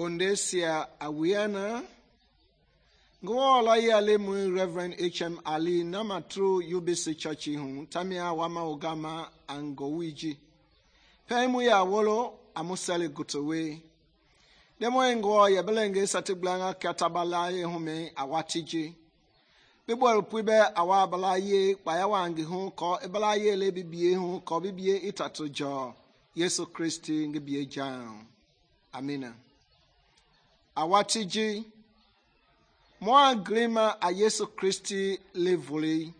Bondesia Awiana Ngwala ya lemu Reverend H.M. Ali nama true UBC Church hu tamia wama ogama angowiji Pemu ya wolo amusali gutowe Demo ngo ya belenge satiblanga katabalaye hume awatiji Bibwel puibe awabalaye bayawangi hu ko ebalaye le bibie hu ko bibie itato jo Yesu Kristi ngibie jam Amina Awatiji Mwa grima a Yesu Kristi levuli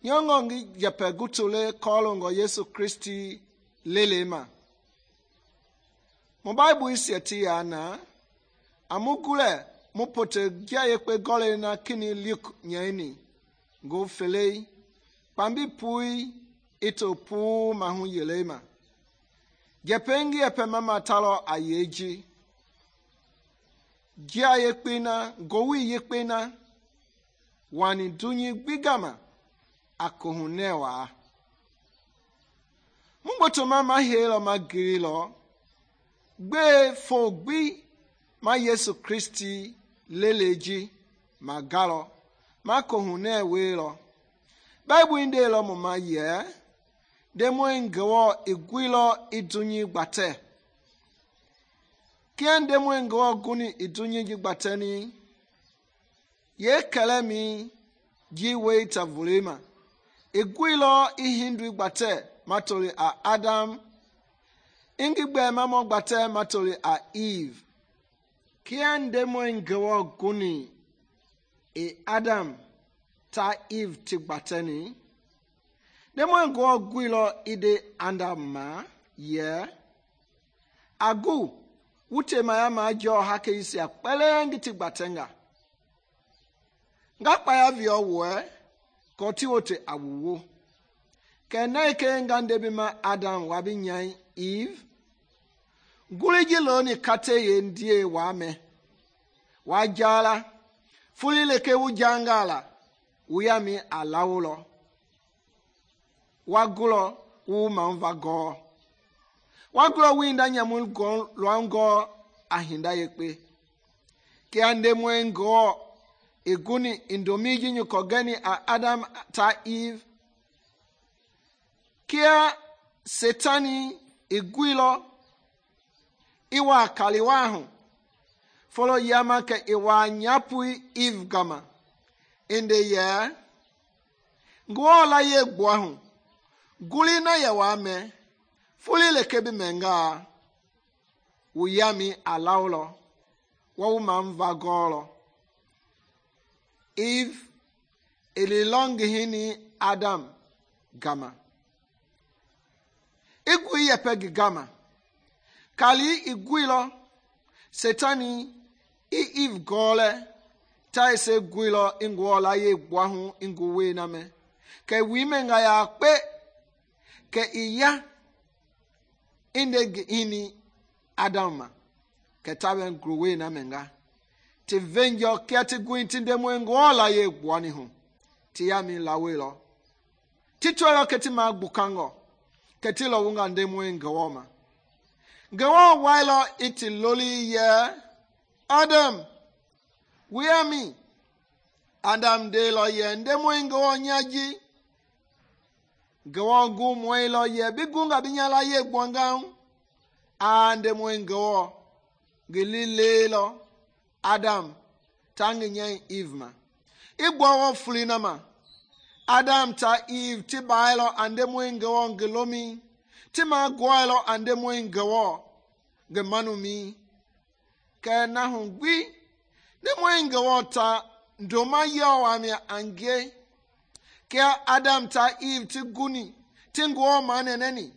Nyongongi jepe gutule kolongo Yesu Kristi lelema Mo Bible isi eti yana amugule mupote gya yekpe gole na kini Luke nyeni go felei pambi pui ito pu mahu yelema Jepengi epe mama talo ayeji Gia yekpena, gowi yekpena, wani dunyi bigama, akohunewa. Mumboto ma helo ma girilo, gbe fogbi ma Yesu Kristi leleji, ma galo, ma kohunewe lo. Bible inde lo ma ye, demo ngewo igwilo idunyi gbate. Kiende mwengo guni idunyi gbatani ye kalemi ji weita vulima igwilo ihindu gbate matoli a Adam ingigbe mamo gbate matoli a Eve kiende mwengo guni Adam ta Eve ti gbatani de mwengo gwilo ide andama ye agu Ute mayama jo hake isi akpele ngiti gbatenga. Nga kpaya vio we, koti wote awuwo. Kene ike ngande bima Adam wabi nyai Eve. Guliji loni kate ye ndie wame. Wajala, fuli leke ujangala, uyami alaulo. Wagulo, umamva go. Waglo winda nyamul go luango ahinda yekpe. Kiande mwengo iguni indomiji nyukogeni a Adam ta Eve. Kia setani igwilo iwa kaliwahu. Follow yama ke iwa nyapui Eve gama. Inde ye. Ngwola ye gwahu. Guli na ye wame. Fuli lekebi menga uyami alaulo wa umamva golo Eve ililongi hini Adam gama igwi yepegi gama kali igwilo setani Eve gɔɔlɛ ta ese guilɔ ingɔ la ye gbuahu ingu we na me ke wi menga ya kpe ke iya inde ini Adam ma ke ta ben gruwe na menga ti venjo kia ti guin ti ndemo ngɔ la ye gbuani hu ti ya mi la we lo ti twelo ke ti ma gbukango ke ti lo wunga ndemo ngɔ ma ngɔ wailo iti loli ye Adam where me Adam de lo ye ndemo ngɔ nyaji ngɔ gu moi lo ye bi gunga bi nya la ye gbonga a ndemo ngɔ gilile lo Adam tangi nye Eve ma igbo wo fuli na ma Adam ta Eve ti bailo ande mo ngwo ngelomi ti ma gwailo ande mo ngwo gemanu mi ke na hu gbi ne mo ngwo ta ndoma yo wa mi ange ke Adam ta Eve ti guni ti ngwo ma neneni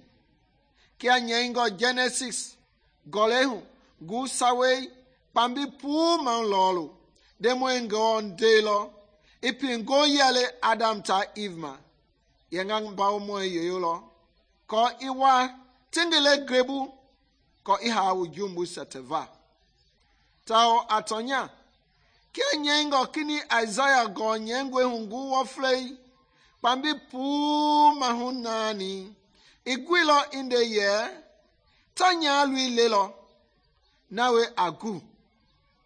ke nye ngo Genesis golehu gu sawe pambi pu man lolo demo ngo ndelo ipi ngo yale Adam ta Eve ma yenga bawo mo yeyolo ko iwa tingele grebu ko iha ujumbu seteva tao atonya ke nyengo kini Isaiah go nyengwe hungu wo flei pambi pu mahunani igwilo inde ye tanya lui lelo nawe agu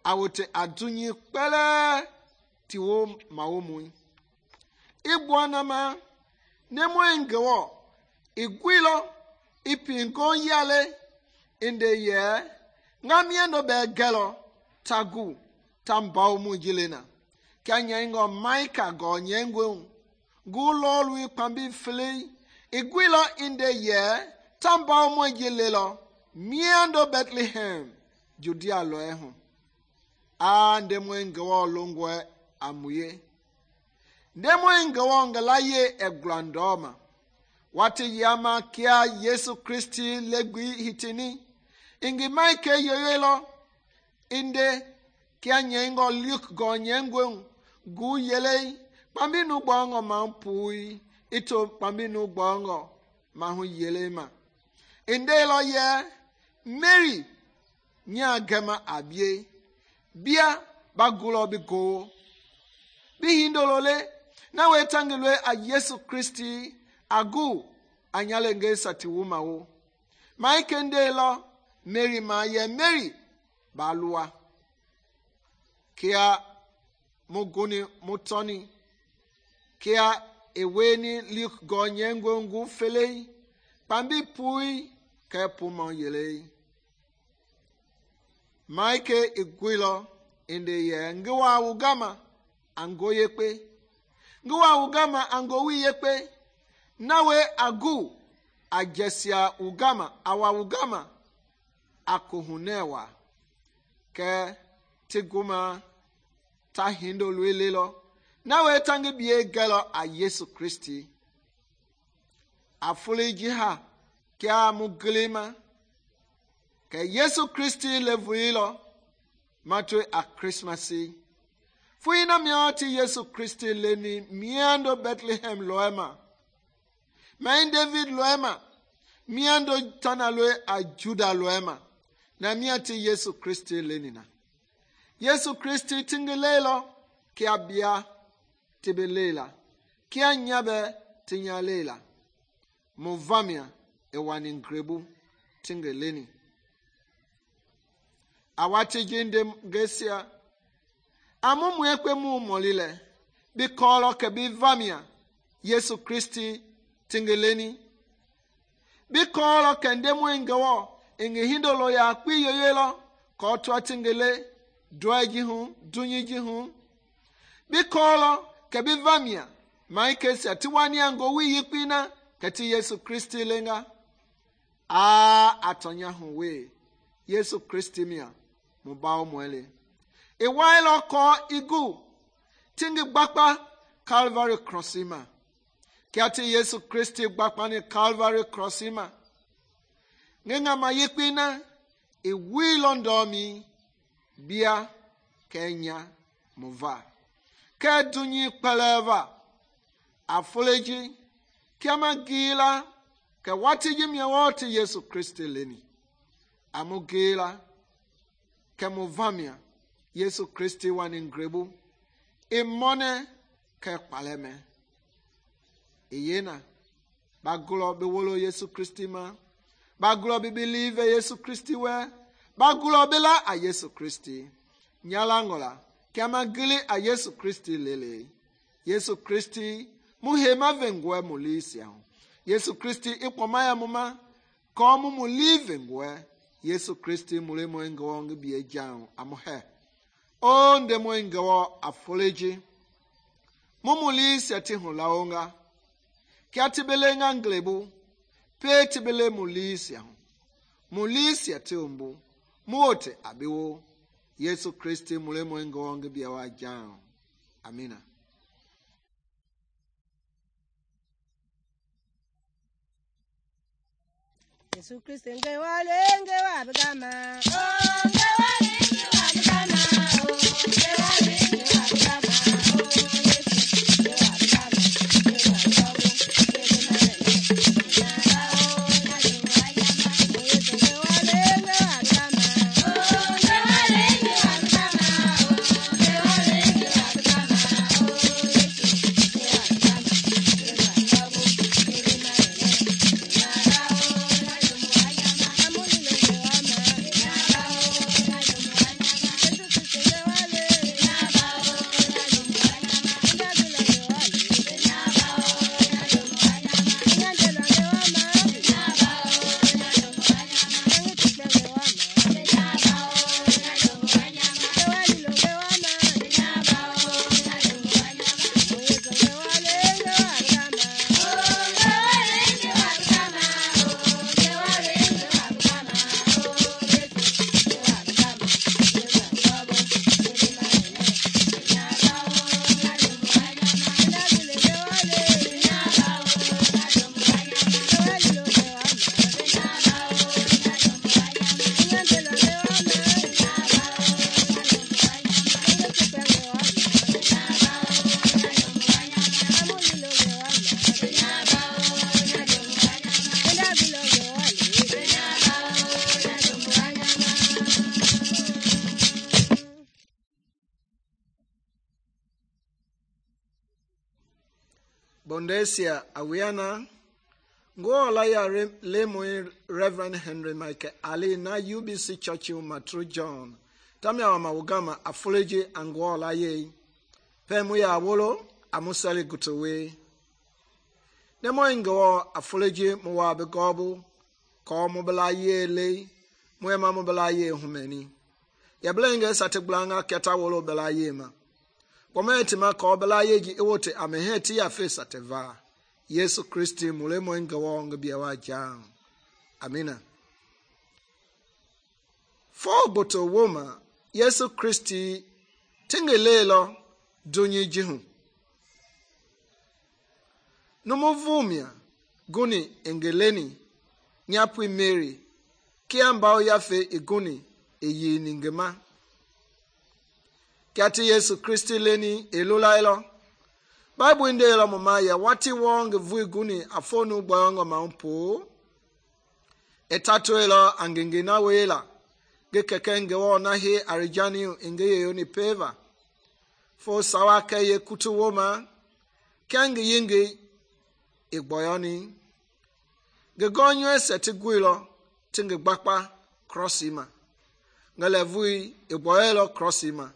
awote adunyi kpele tiwo mawomu igwana ma nemo ngewo igwilo ipingo yale inde ye ngamiendo be gelo tagu tambao mu jilena kanya ngo maika go nyengwe gulo lui pambi fle igwilo inde ye tambao mu jilelo miendo Bethlehem Judea lo ehu a ndemo ngwo longwe amuye ndemo ngwo ngalaye eglandoma wati yama kia Yesu Kristi legwi hitini ingi maike yoyelo inde kia nyengo Luke go nyengwe gu yele pambi nu bongo mampui ito pambi nu bongo mahu yele ma inde lo ye Mary nya gema abie bia bagulo bi go bi hindolole na wetangilwe a Yesu Kristi agu anyale nge sati wuma wo maike ndelo Mary ma ye Mary balua kia muguni mutoni kia eweni Luke go nyengwe ngu fele pambi pui ke puma yele maike igwilo inde ye ngiwa ugama ango yekpe ngiwa ugama ango wi yekpe nawe agu ajesia ugama awa ugama akuhunewa ke tiguma ta hindo lwelelo nawe tangi biye gelo a Yesu Kristi afuli jiha kia muglima ke Yesu Kristi levuilo matwe a Christmasi fuina mioti Yesu Kristi leni miando Bethlehem loema main David loema miando tanalwe a Juda loema na miati Yesu Kristi lenina Yesu Kristi tingelelo kia bia tibelela kia nyabe tinyalela muvamia ewani ngrebu tingeleni awati jinde gesia amumu ekwe mu molile bi kolo ke bi vamia Yesu Kristi tingeleni bi kolo ke ndemu ngawo inge hindolo ya kwi yoyelo ko to tingele doaji hu dunyiji hu bi kolo ke bi vamia maike sia tiwani ango wi yipina kati Yesu Kristi lenga a atonya hu we Yesu Kristi mia mubao mwele iwailo ko igu tingi gbakpa Calvary crossima kiati Yesu Kristi gbakpa ni Calvary crossima ngenga mayekpina iwilo ndomi bia kenya mova ke dunyi kpeleva afoleji kiama gila ke wati jimia wote Yesu Kristi leni amu gila ke movamia Yesu Kristi wani ngrebu imone ke kpaleme iyena bagulo be wolo Yesu Kristi ma bagulo be believe Yesu Kristi we bagulo be la a Yesu Kristi nyalangola kiama gili a Yesu Kristi lele Yesu Kristi muhema vengwe mulisia Yesu Kristi ikpomaya muma komu mulive ngwe Yesu Kristi mulemo ngo ngbie jao amuhe o ndemo ngo afoleji mumulisia ti hulaonga kiatibelenga nglebu pe tibele mulisia ti umbu muote abiwo Yesu Kristi mulemo ngo ngbie wa jao amina. Yesu Kristi ngewale ngewabigama oh ngewale ngewabigama oh ngewale ngewabigama oh Yesu ngewabigama Bondesia awiana ngola ya lemo Reverend Henry Michael Ali na UBC Church Matru John tamia wa mawugama afoleji angola ye pemu ya wolo amusali gutowe nemo ngo afoleji muwa begobu ko mobala ye le muema mobala ye humeni ya blenge sateglanga keta wolo bela ye ma Pometi ma ko bela yeji ewote ameheti ya fesa teva Yesu Kristi mulemo ngawo ngabia wa jang amina. Fo boto woma Yesu Kristi tingelelo dunyi jihu numuvumia guni engeleni nyapwi Mary kiambao yafe iguni eyini ngema Kati Yesu Kristi leni elulailo Bible ndelo mama ya wati wong vuiguni afonu boyongo maumpo etatuelo angengena wela gekekenge wona he arijani ingeye ni peva fo sawake ye kutu woma kenge yinge igboyoni gegonyo setigwilo tinge gbakpa crossima ngalevui igboyelo crossima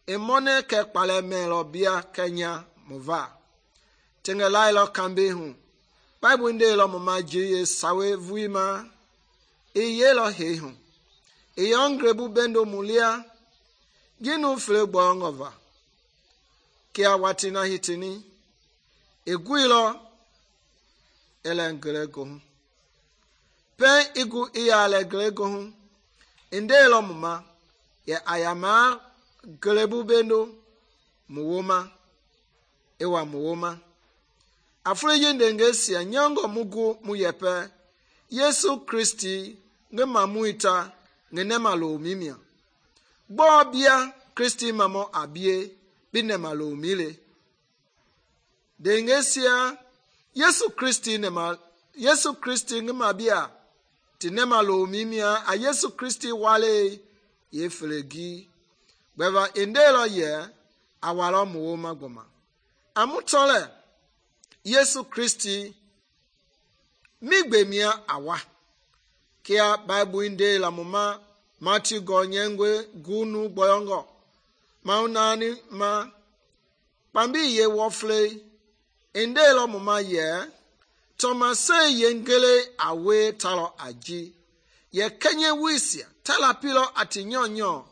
Emone ke kpale melo bia Kenya mova. Tenge lailo kambe hu. Bible ndelo mama jiye sawe vuima. Yelo he hu. Yongrebu bendo mulia. Ginu fle boongova. Kia watina hitini. Guilo ele hu. Pen igu iyale grego hu. Ndelo mama ya ayama Gelebu bendo muwoma ewa muwoma afreje ndengesia nyongo mugu muyepe Yesu Kristi ngema muita ngenema lo mimia gbobia Kristi mamo abie bi nema lomile dengesia Yesu Kristi ngima bia ti nema lomimia a Yesu Kristi wale ye felegi gbeva indelo ye awalo mo magboma amutole Yesu Kristi migbemia awa kia Bible inde la moma Matthew gonyengwe gunu boyongo maunani ma pambi ye wofle inde lo moma ye Thomas yengele awe talo aji ye kenye wisia tala pilo ati nyonyo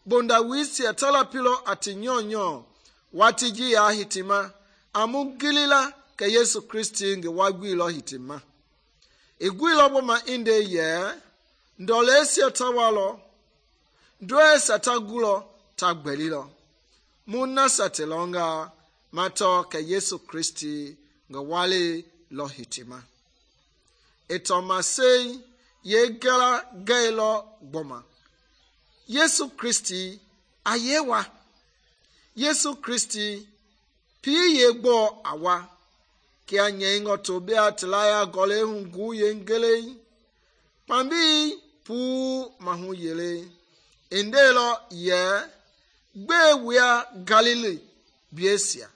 bonda wisia tala pilo ati nyonyo watiji ya hitima amugilila ke Yesu Kristi nge wagwilo hitima igwilo boma inde ye ndolesia tawalo ndwe satagulo tagbelilo muna satelonga mato ke Yesu Kristi nge wale lo hitima etomase ye gala gailo gboma Yesu Kristi ayewa Yesu Kristi pi ye gbo awa kia nyengo to bia tlaya gole hungu yengele pambi pu mahu yele indelo ye gbe wia Galilee biesia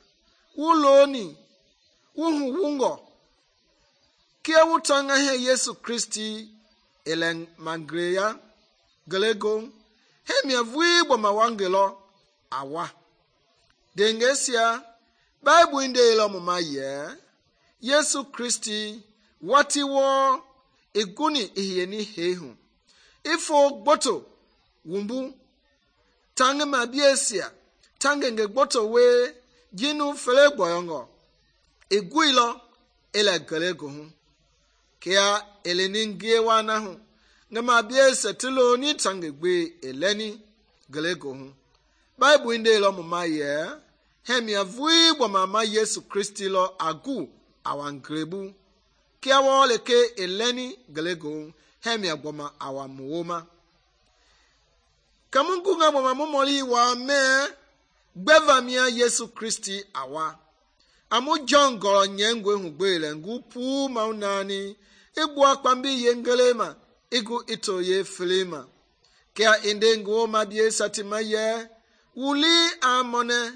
wuloni wuhu wungo kia wutanga he Yesu Kristi ele magreya gelego hemia vui boma wangelo awa dengesia Bible inde lo mama ye Yesu Kristi wati wo iguni ihiyeni hehu ifo gboto wumbu tange mabiesia tange nge gboto we jinu fele gboyongo iguilo ele gelego hu kia eleningie wana hu ngama biesia tilo ni tange gbe eleni gelego hu Bible inde lo mama ye hemia vui bo mama Yesu Kristi lo agu awangrebu kia wole ke eleni gelego hemia gboma awamuoma kamungu nga boma momoli wa me gbeva mia Yesu Kristi awa amu John goro nyengwe hugbele ngupu maunani igbu akpambi yengelema igu ito ye filima kia indengo mabie satima ye wuli amone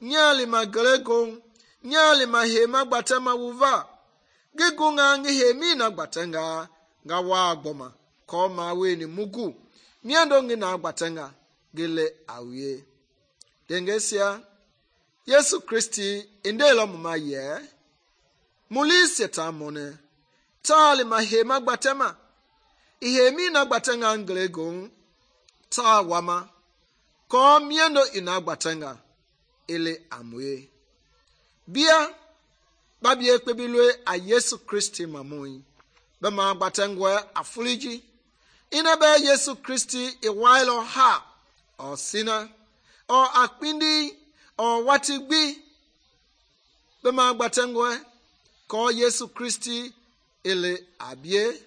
nyali magelego nyali mahema gbatema wuva gigunga ngi hemi na gbatenga nga wa gboma ko ma weni mugu miando ngi na gbatenga gele awie dengesia Yesu Kristi indelo mama ye muli setamone tali mahema gbatema ihemi na gbatenga ngelego ta wama ko miando ina gbatenga ele amwe bia babie kpebilwe a Yesu Kristi mamoi bema gbatengwe afuliji ina be Yesu Kristi iwailo ha o sina o akpindi o watigbi bema gbatengwe ko Yesu Kristi ele abie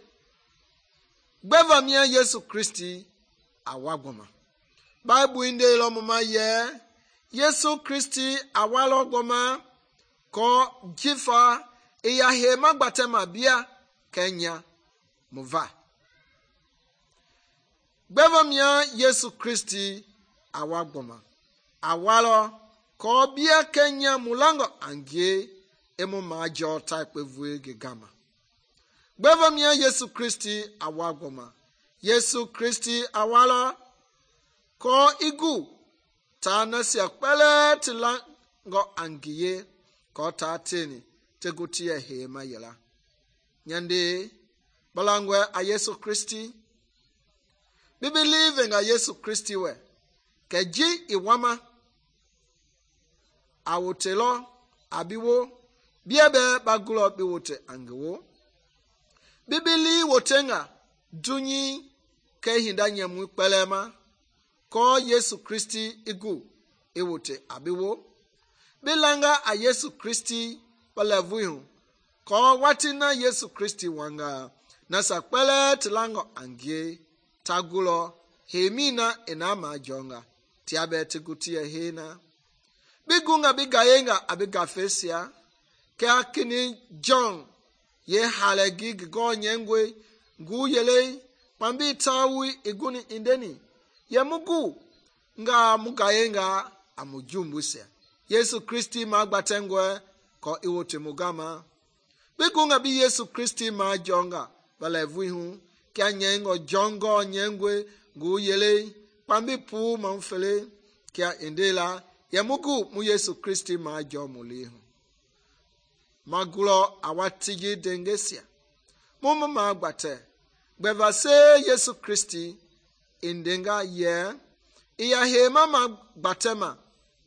gbeva mia Yesu Kristi awagboma Bible inde lo mama ye Yesu Kristi awalo gboma ko jifa iya hema gbatema bia Kenya muva gbeva mia Yesu Kristi awagboma awalo ko bia Kenya mulango angie emu majo type vue gigama gbeva mia Yesu Kristi awagboma Yesu Kristi awalo ko igu ta nasi akpele tilango angie ko ta teni tegutie hema yela nyande balangwe a Yesu Kristi we believe in a Yesu Kristi we keji iwama awotelo abiwo biebe bagulo biwote angewo bibili wotenga dunyi ke hindanya mu pelema ko Yesu Kristi igu ewote abiwo bilanga a Yesu Kristi palavuhu ko watina Yesu Kristi wanga nasa pele tilango angie tagulo hemina enama jonga tia bɛ ti guti yɛ hei na bi gunga bi gayenga a bi gafeisia kɛ a kini John ye halɛgi ngi gɔɔ nyɛngɔe ngu yelei kpambi tawui iguni indeni yɛ mu gu nga mu gayenga a mu jumbuisia Yesu Kristi ma gbatɛngɔe kɔ iwote mu gama bi gunga bi Yesu Kristi ma jɔnga balɛvui hu kɛ a nyɛngɔ John gɔɔ nyɛngɔe ngu yelei kpambi puu ma fele kɛ a indela yɛ mu gu mu Yesu Kristi ma jɔ mu li hu ma gulɔ a wati ji dengesia mu ma gbatɛ gbɛva se Yesu Kristi indenga yɛ iya hema ma gbatɛma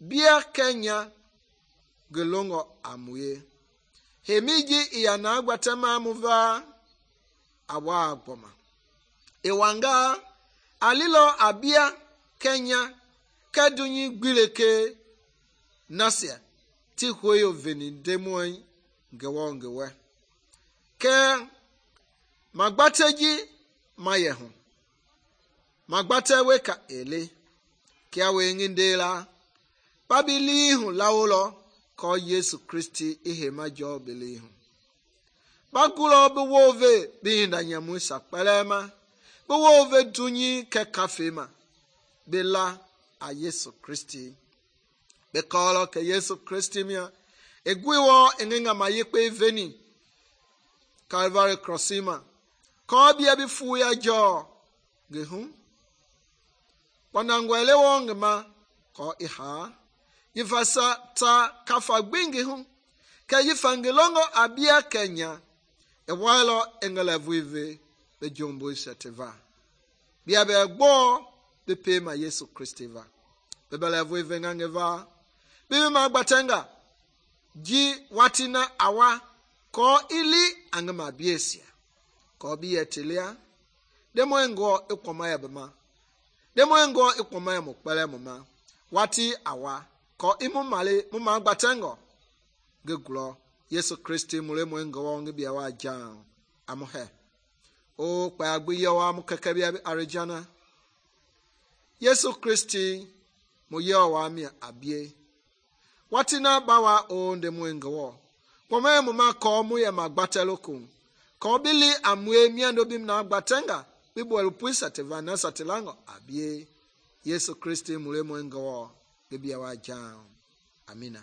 bia kɛnya gelongɔ a muye hemi ji iya na gbatɛma mu va a waa gbɔma iwanga a lilɔ a bia kɛnya kɛ dunyi gbileke nasia ti hueyo veni ndemɔi ngewɔ ngewɛ kɛ ma gbatɛ ji ma yɛ hu ma gbatɛ weka ele kia wengi ndela babili hu lawolɔ kɔ Yesu Kristi ihema jɔ bili hu bagulɔ bi wove bi hinda nyamu sakpɛlɛma bi wove dunyi kɛ kafe ma bi la a Yesu Kristi bi kɔlɔ kɛ Yesu Kristi mia egui wɔ engenga ma yekpe veni Calvary crossima kɔ bia bi fu ya jɔ gehu kpɔnangwɛle wɔ ngema kɔ iha yifasa ta kafa gbingi hu kɛ yifa ngelongo abia kɛnya ewalɔ engelɛvuive be jombo setiva bia bɛ gbɔ bi pe ma Yesu Kristi va be belɛvuive ngangeva bi ma gbatɛnga ji watina awa kɔ ili angema biesia kɔ bi yɛ telia demo ngɔ ekɔma ya bema demo ngɔ ekɔma ya mo kpɛlɛ mo ma wati awa kɔ imu male mu ma gbatɛngɔ geglɔ Yesu Kristi mule mo ngɔ ngi bia wa jan amu he o kpa agbi yɛ wa mu kɛkɛ bia arijana Yesu Kristi mo yɛ wa mi abie watina bawa o ndemo ngɔ kɔmɛ mo ma kɔ mu yɛ ma gbatɛloko kɔ bili amue miando bim na gbatɛnga bi bɔlu puisa te vana satelango abie Yesu Kristi mule mo ngɔ ge bia wa jan amina